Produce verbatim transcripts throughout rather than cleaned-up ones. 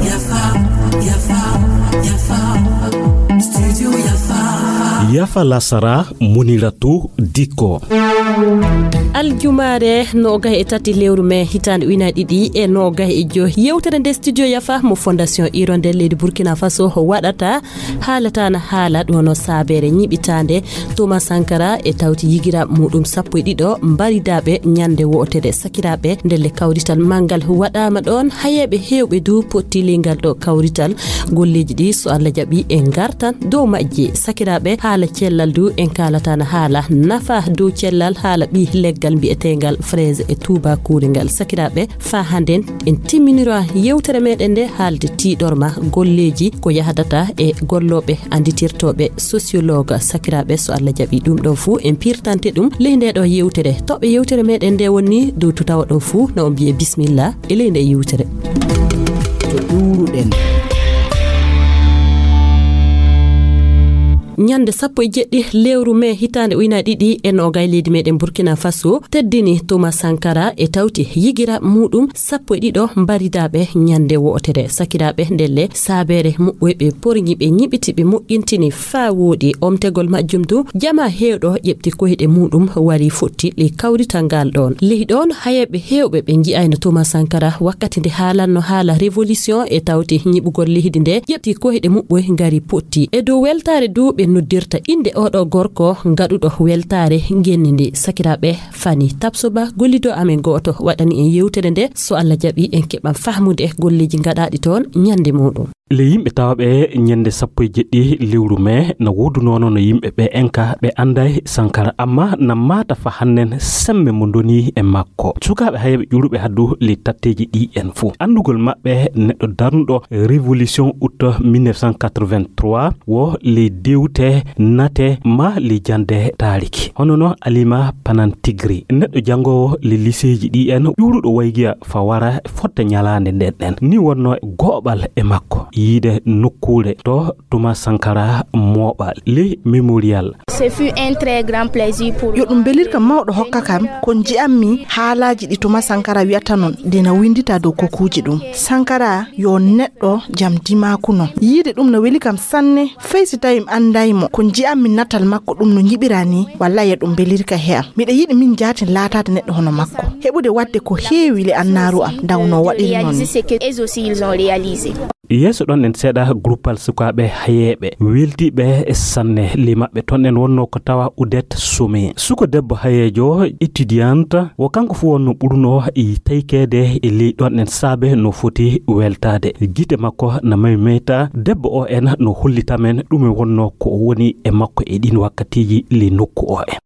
Yafa, yafa, yafa. Studio Yafa. Yafa lasara, Muniratu Diko. Aljumaare noogay e tati lewru mee hitaande ujunaaji ɗiɗi e noogay e joy. Yewtere nde Studio Yafa mo Fondation Hirondelle leydi Burkina Faso waɗata haalataana haala ɗum no saabeere ñiɓitaande Thomas Sankara e tawti yigiraaɓe muɗum sappo e ɗiɗo mbaridaaɓe ñande wootere. Sakiraaɓe, ndelle kawrital manngal waɗaama ɗoon. Hayeeɓe heewɓe du potti ley ngal ɗo kawrital. Golleeji ɗi, so Allah jaɓi, en ngartan dow majji. Sakiraaɓe, haala cellal du, en kaalataana haala nafa dow cellal, haala ɓii leggal mbiyeteengal fraise e tuubaakuure ngal. Sakiraaɓe, faa hannden en timminira yewtere meɗen nde haalde tiiɗorma golleeji ko yahdata e gollooɓe annditirtooɓe sociologue. Sakiraaɓe, so Allah jaɓi, ɗum ɗo fuu en pirtante ɗum ley nde ɗo yewtere. Toɓɓe yewtere meɗen nde woni dow tutawa ɗo fuu, na on mbiye bismillah e ley nde yewtere. To ɗuuruɗen. Ñande sappo e jeɗɗi lewru mee hitaande ujunaaji ɗiɗi e noogay, leydi meɗen Burkina Faso teddini Thomas Sankara e tawti yigiraaɓe muɗum sappo e ɗiɗo mbaridaaɓe ñande wootere. Sakiraaɓe, ndelle saabeere muɓɓoy ɓe porñi, ɓe ñiɓiti, ɓe moƴƴintini faa wooɗi. Omtegol majjum du, jamaa heewɗo ƴeɓti koyɗe muɗum wari fotti ley kawrital ngal ɗoon. Ley ɗoon hayeeɓe heewɓe ɓe nji'ayno Thomas Sankara wakkati nde haalanno haala révolution e tawti ñiɓugol leydi nde ƴeɓti koyɗe muɓɓoy ngari potti. E dow weltaare du ɓe noddirta innde oo ɗo gorko gaɗuɗo weltaare ngenndi ndi. Sakiraaɓe, Fani Tapsoba, gollido amen gooto, waɗani en yewtere nde. So Allah jaɓi, en keɓan fahmude golleeji gaɗaaɗi toon ñande muɗum. Le yimɓe tawaaɓe ñande sappo e jeɗɗi lewru mee na woodunoono no yimɓe ɓe enka ɓe annday Sankara, amma na maata fa hannen semme mo ndoni e makko. Sukaaɓe hayeeɓe ƴuuruɓe haddu le tatteeji ɗi en fuu. Anndugol maɓɓe neɗɗo darnuɗo révolution août mille neuf cent quatre-vingt-trois wo le dewte nate ma le jande taariki. Hono no Alima Panan Tigri, neɗɗo janngoowo le liseeji ɗi en, ƴuuruɗo waygiya fa wara fotta ñalaande nden ɗen. Ni wonno e gooɓal e makko yiide nokkuure to Thomas Sankara mooɓa le mémorial. Ce fut un très grand plaisir pour Yo ɗum belirka mawɗo hokka kam ko nji'ammi haalaaji ɗi Thomas Sankara wi'ata non, ɗi na winndita dow kokuuji ɗum. Sankara yo neɗɗo jam dimaaku non. Yiide ɗum no weli kam sanne, fay si tawi mi annday mo. Ko nji'ammi natal makko ɗum no ñiɓira ni, wallay yo ɗum belirka he am. Miɗa yiɗi min jaatin laataade neɗɗo hono makko. Heɓude waɗde ko heewi le annaaru am, daw no waɗiri non ni. Réaliser ce que eux aussi ils ont réalisé. Yeeso ɗon en seeɗa gruppal sukaaɓe hayeeɓe weltiiɓe sanne. Ley maɓɓe ton en wonno ko tawa Udet Sumi. Suko debbo hayeejo étudiante, wo kanko fuu wonno ɓurno e taykeede e ley ɗon en saabe no foti weltaade. Gite makko na maymeyta, debbo o en no hollita men ɗume wonno ko o woni e makko e ɗin wakkatiiji ley nokku o en.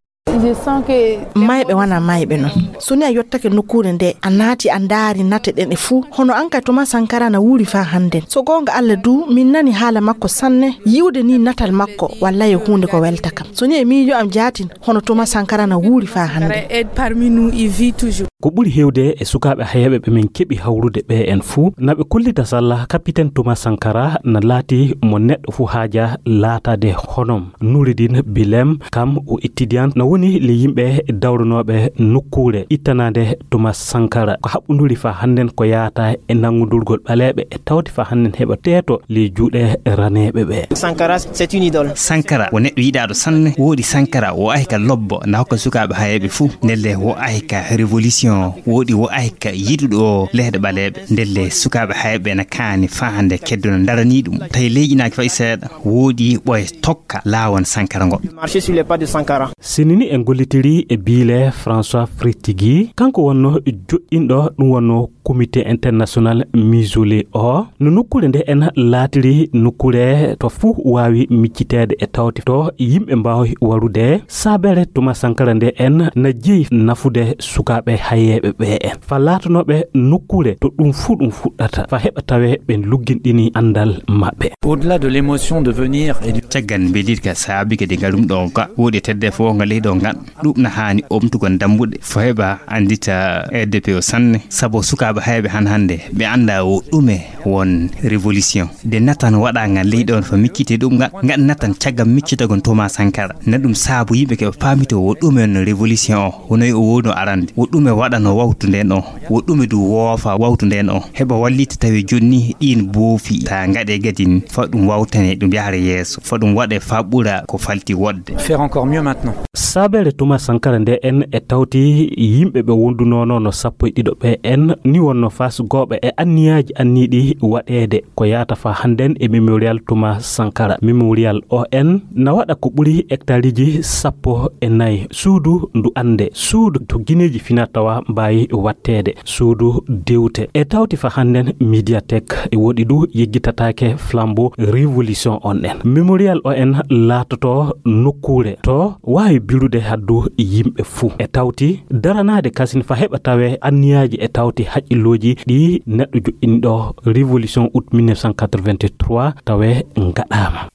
Mayɓe wona mayɓe non. So ni a yottake nokkuure nde, a naati a ndaari nate ɗen e fuu. Hono an kay Thomas Sankara na wuuri faa hannden. So goonga Alla du, min nani haala makko sanne. Yi'ude ni natal makko, wallay e huunde ko welta kam. So ni e miijo am jaatin, hono Thomas Sankara na wuuri faa hannden. Aide parmi nous, il vit toujours. Ko ɓuri heewde e sukaaɓe hayeeɓe ɓe min keɓi hawrude ɓe en fuu, na ɓe kollita salla Capitaine Thomas Sankara na laati mo neɗɗo fuu haaja laataade honom. Noureddine Bilem, kam o étudiant, na woni le yimɓe dawranooɓe nokkuure ittanaade Thomas Sankara. Ko haɓɓunduri faa hannden ko yaata e nanngundurgol ɓaleeɓe e tawti faa hannden heɓa teeto le juuɗe raneeɓe ɓe. Sankara, c'est une idole. Sankara wo neɗɗo yiɗaaɗo sanne. Woodi Sankara wo ahi ka lobbo na hokka sukaaɓe hayeeɓe fuu. Ndelle wo ahi ka révolution. Woodi wo ahi ka yiɗuɗo lehɗe ɓaleeɓe. Ndelle sukaaɓe hayeeɓe na kaani faa hannde keddo no ndaranii ɗum. Tawi leyƴinaaki fay seeɗa. Woodi ɓoye tokka laawon Sankara ngo. Marcher sur les pas de Sankara. Sinini en gollitiri e biile François Fritigi, kanko wonno joɗɗinɗo ɗum wonno Comité International Mausolée o. No nokkuure nde en laatiri nokkuure to fuu waawi micciteede e tawti to yimɓe mbaawi warude. Saabere Thomas Sankara nde en na jeyi nafude sukaaɓe hayeeɓe ɓe en. Fa laatanooɓe nokkuure to ɗum fuu ɗum fuɗɗata. Fa heɓa tawe ɓen lugginɗini anndal maɓɓe. Au-delà de l'émotion de venir et du Caggal mbelirka saabi kadi ngaɗum ɗo ga woodi tedde fof ngal leydi Ɗum na haani omtugol dambuɗe fo heɓa anndita R D P O sanne, sabu sukaaɓe hayɓe han hannde ɓe annda o ɗume won révolution. De natan waɗa ngal leydi on fa miccite ɗum ngal, ngal natan caggal miccitagol Thomas Sankara. Na ɗum saabu yimɓe keɓe paamito o ɗume won révolution o, wono o wonno arande, o ɗume waɗano wawtu nden o, o ɗume du woofa wawtu nden o. Heɓa wallita tawi jonni ɗin boofi ta ngaɗe gadin fa ɗum wawtane ɗum yahra yeeso, fa ɗum waɗe fa ɓura ko falti wodde. Faire encore mieux maintenant. Saabere Thomas Sankara nde en e tawti yimɓe ɓe wondunono no sappo e ɗiɗo ɓe en ni wonno fasgooɓe e anniyaaji anniiɗi waɗeede ko yaata fa hannden e Mémorial Thomas Sankara. Mémorial O N na waɗa ko ɓuri hectareji sappo e nayi. Suudu ndu annde, suudu to gineeji fina tawa mbaawi watteede, suudu dewte. E tawti fa hannden médiathèque e woɗi du yeggitataake flambeau révolution on en. Mémorial O N laatoto nokkuure to waawi bilude haddu yimɓe fuu. E tawti daranaade kasin fa heɓa tawe anniyaaji e tawti haqqillooji ɗi neɗɗo joɗɗini ɗo révolution août mille neuf cent quatre-vingt-trois tawe ngaɗaama.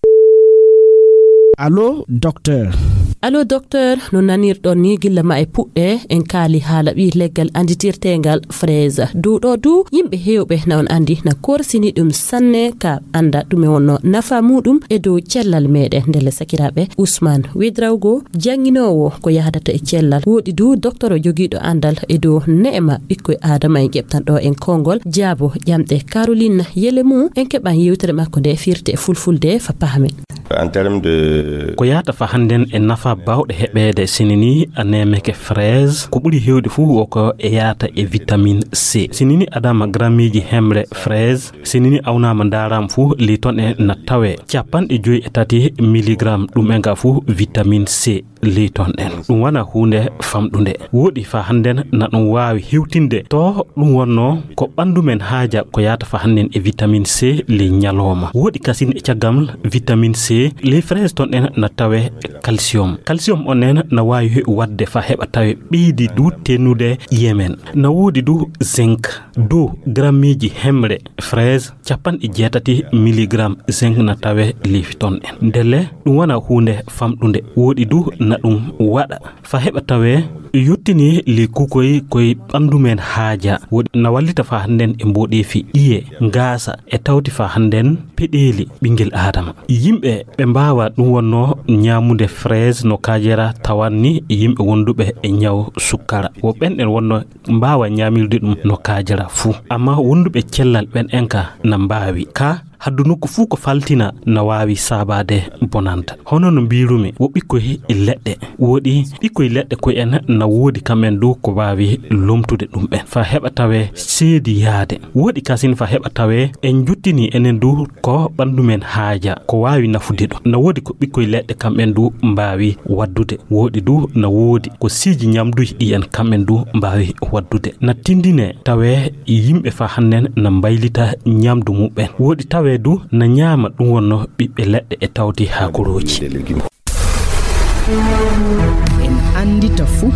Allo, docteur. Allo, docteur, no nanirɗon ni gilla ma e puɗɗe, en kaali haala ɓii leggal anditirteengal fraise. Dow ɗo du, yimɓe heewɓe na on andi na korsini ɗum sanne ka anda ɗume wonno nafa muɗum e dow cellal meɗen. Ndelle sakiraaɓe, Ousmane Wedrawgo, jannginoowo ko yahdata e cellal, woɗi du doktoro jogiiɗo andal e dow neema ɓikkoy Aadama en ƴeɓtan ɗo en konngol, jaabo ƴamɗe Caroline Yelemu, en keɓan yewtere makko nde firte e fulfulde fa pahamen. En termes de Ko yaata fa hannden e nafa bawɗe heɓeede sinini a nemeke fraise, ko ɓuri hewde fuu o ko e yaata e vitamine C. Sinini adama grammeji hemre fraise, sinini awnaama ndaaraama fuu ley ton e na tawe capanɗe joyi e tati milligramme ɗum e nga fuu vitamine C ley ton en. Ɗum wana huunde famɗunde. Woɗi fa hannden na ɗum waawi hewtinde to ɗum wonno ko ɓanndu men haaja ko yaata fa hannden e vitamine C ley ñalooma. Woɗi kasin e caggal vitamine C ley fraise ton en na tawe calcium. Calcium on en na waawi waɗde fa heɓa tawe ɓeydi du tennude ƴiye men. Na woodi du zinc. Dow grammeji hemre fraise capanɗe jeetati milligramme zinc na tawe ley ton en. Ndelle ɗum wana huunde famɗunde. Woɗi du na ɗum waɗa fa heɓa tawe yottini ley kukoy koy ɓanndu men haaja. Woɗi na wallita fa hannden e mboɗeefi ƴiye, ngaasa e tawti fa hannden peɗeeli ɓinngel Aadama. Yimɓe ɓe mbaawa ɗum wonno ñaamude fraise no kaajera tawanni yimɓe wonduɓe e ñaw sukkara. Wo ɓen en wonno mbaawa ñaamirde ɗum no kaajara fuu. Amma wonduɓe cellal ɓen en ka na mbaawi. Ka haddu nokku fuu ko faltina na waawi saabaade bonanta. Hono no mbiirumi, wo ɓikkoy leɗɗe. Woɗi ɓikkoy leɗɗe koy en na woodi kam en du ko waawi lomtude ɗum ɓen. Fa heɓa tawe seedi yaade. Woɗi kasin fa heɓa tawe en jottini enen du ko ɓanndu men haaja, ko waawi nafude ɗum. Na woodi ko ɓikkoy leɗɗe kam en du mbaawi waddude. Woɗi du na woodi ko siiji ñamduji ɗi en kam en du mbaawi waddude. Na tindine tawe yimɓe fa hannden na mbaylita ñamdu muɓɓen. Woɗi tawe du na ñaama ɗum wonno ɓiɓɓe leɗɗe e tawti haakorooji. En anndita fuu.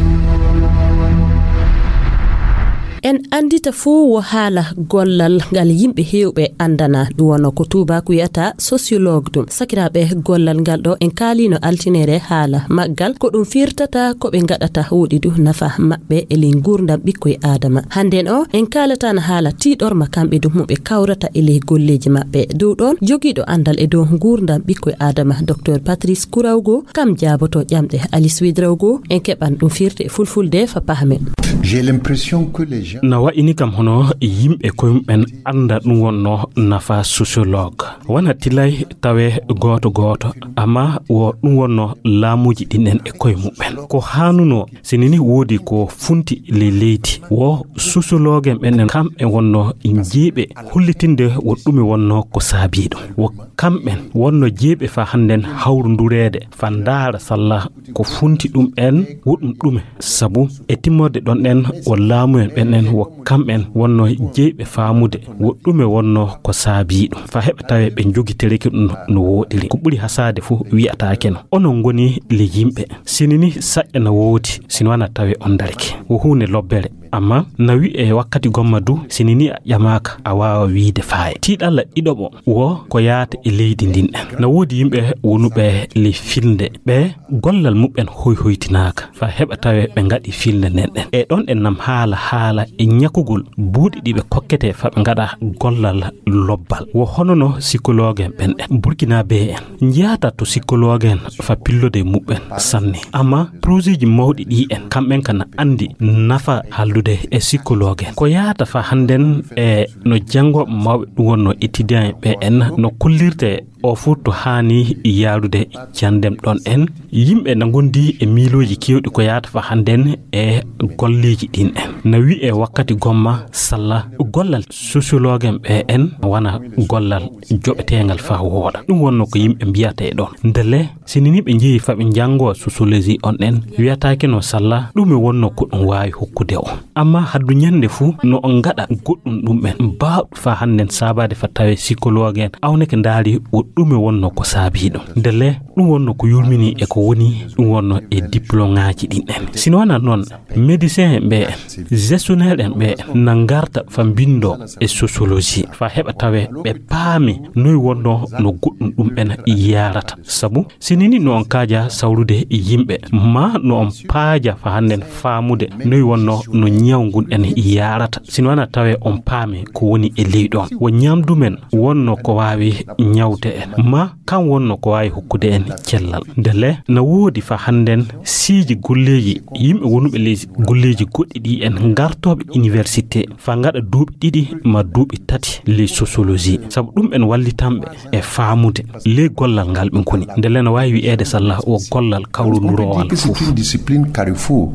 En anndita fuu wo haala gollal ngal yimɓe heewɓe anndana, ɗum wonno ko tuubaaku wiyata sociologue ɗum. Sakiraaɓe, gollal ngal ɗo en kaaliino altineere haala maggal, ko ɗum firtata, ko ɓe ngaɗata, woɗi du nafa maɓɓe e ley nguurndam ɓikkoy Aadama. Hannden o, en kaalataano haala tiiɗorma kamɓe du mo ɓe kawrata e ley golleeji maɓɓe. Dow ɗoon, jogiiɗo anndal e dow nguurndam ɓikkoy Aadama, Docteur Patrice Kourawgo, kam jaaboto ƴamɗe Alice Wedrawgo, en keɓan ɗum firti e fulfulde fa pahamen. J'ai l'impression que les gens Na wa'ini kam hono yimɓe koye mumen annda ɗum wonno nafa sociologue. Wona tilay tawe gooto gooto, amma wo ɗum wonno laamuuji ɗin en e koye mumen. Ko haanuno, sinini woodi ko funti ley leydi, wo sociologue en ɓen en kam e wonno jiiɓe hollitinde wo ɗume wonno ko saabii ɗum. Wo kamɓen wonno jeeɓe fa hannden hawrundureede fa ndaara salla ko funti ɗum en, wo ɗum ɗume. Sabu e timmorde ɗon en, wo laamu en ɓen en, wo kamɓen wonno jeeɓe faamude wo ɗume wonno ko saabii ɗum. Fa heɓa tawe ɓe njogitereki ɗum no wooɗiri. Ko ɓuri hasaade fof wi'ataake no. Onon ngoni le yimɓe. Sinini saƴƴa na woodi, sino wana tawe on darake. Wo huunde lobbere. Amma na wi'e wakkati gomma du, sinini a ƴamaaka, a waawa wiide faaye. Tiiɗalla ɗiɗoɓo wo ko yaata e leydi ndin en. Na woodi yimɓe wonuɓe ley filnde, ɓe gollal muɓɓen hoyhoytinaaka, fa heɓa tawe ɓe ngaɗi filnde nden ɗen. E ɗon en nam haala haala e ñakugol buuɗi ɗi ɓe kokkete fa ɓe ngaɗa gollal lobbal. Wo hono no psychologue en ɓen ɗen. Burkinabé en njiyaata to psychologue en fa pillode muɓɓen sanne. Amma projet ji mawɗi ɗi en, kamɓen kana andi nafa hallude e psychologue en. Ko yaata fa hannden e no janngooɓe mawɓe ɗum wonno étudiant ɓe en no kollirte o fuu to haani yaarude janndem ɗon en. Yimɓe na ngondi e miilooji keewɗi ko yaata fa hannden e golleeji ɗin en. Na wi'e wakkati gomma salla gollal sociologue en ɓe en wana gollal joɓeteengal fa wooɗa. Ɗum wonno ko yimɓe mbiyata e ɗon. Ndelle, sinini ɓe njehi fa ɓe njanngoo sociologie on en, wiyataake no salla ɗume wonno ko ɗum waawi hokkude o. Amma haddu ñannde fuu no on ngaɗa goɗɗum ɗum en baawɗo fa hannden saabaade fa tawe psychologue en awneke ndaari wo ɗume wonno ko saabii ɗum. Ndelle, ɗum wonno ko yurmini e ko woni ɗum wonno e diplômeaaji ɗin en. Sino wona noon, médecin en ɓe en, gestionnaire en ɓe en, na ngarta fa mbindo e sociologie, fa heɓa tawe ɓe paami noy wonno no goɗɗum ɗum en yaarata. Sabu, sinini no on kaaja sawrude yimɓe, ma no on paaja fa hannden faamude noy wonno no ñaw ngun en yaarata. Sino wana tawe on paami ko woni e ley ɗon. Wo ñamdu men wonno ko waawi ñawde en, ma kan wonno ko waawi hokkude en cellal. Ndelle, na woodi fa hannden siiji golleeji yimɓe wonuɓe ley golleeji goɗɗi ɗi en ngartooɓe université fa ngaɗa duuɓi ɗiɗi ma duuɓi tati ley sociologie. Sabu ɗum en wallitanɓe e faamude ley gollal ngal ɓe ngoni. Ndelle na waawi wi'eede salla wo gollal kawrundurowal fof. Discipline, discipline carrefour.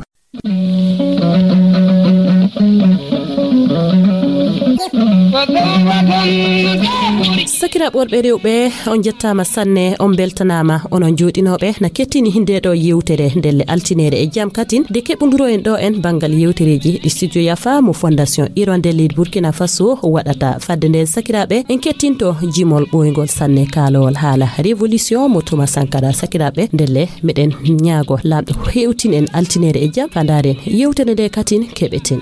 Sakiraaɓe worɓe rewɓe, on njettaama sanne, on mbeltanaama, onon jooɗinooɓe na kettini nde ɗo yewtere ndelle altineere e jam katin, nde keɓunduro en ɗo en banngal yewtereeji ɗi studio Yafa mo Fondation Hirondelle Burkina Faso waɗata. Fadde nde sakiraaɓe, en kettinto jimol ɓooyngol sanne kaalowol haala révolution mo Thomas Sankara. Sakiraaɓe, ndelle meɗen ñaago Laamɗo hewtin en altineere e jam, fa ndaaren yewtere nde katin keɓeten.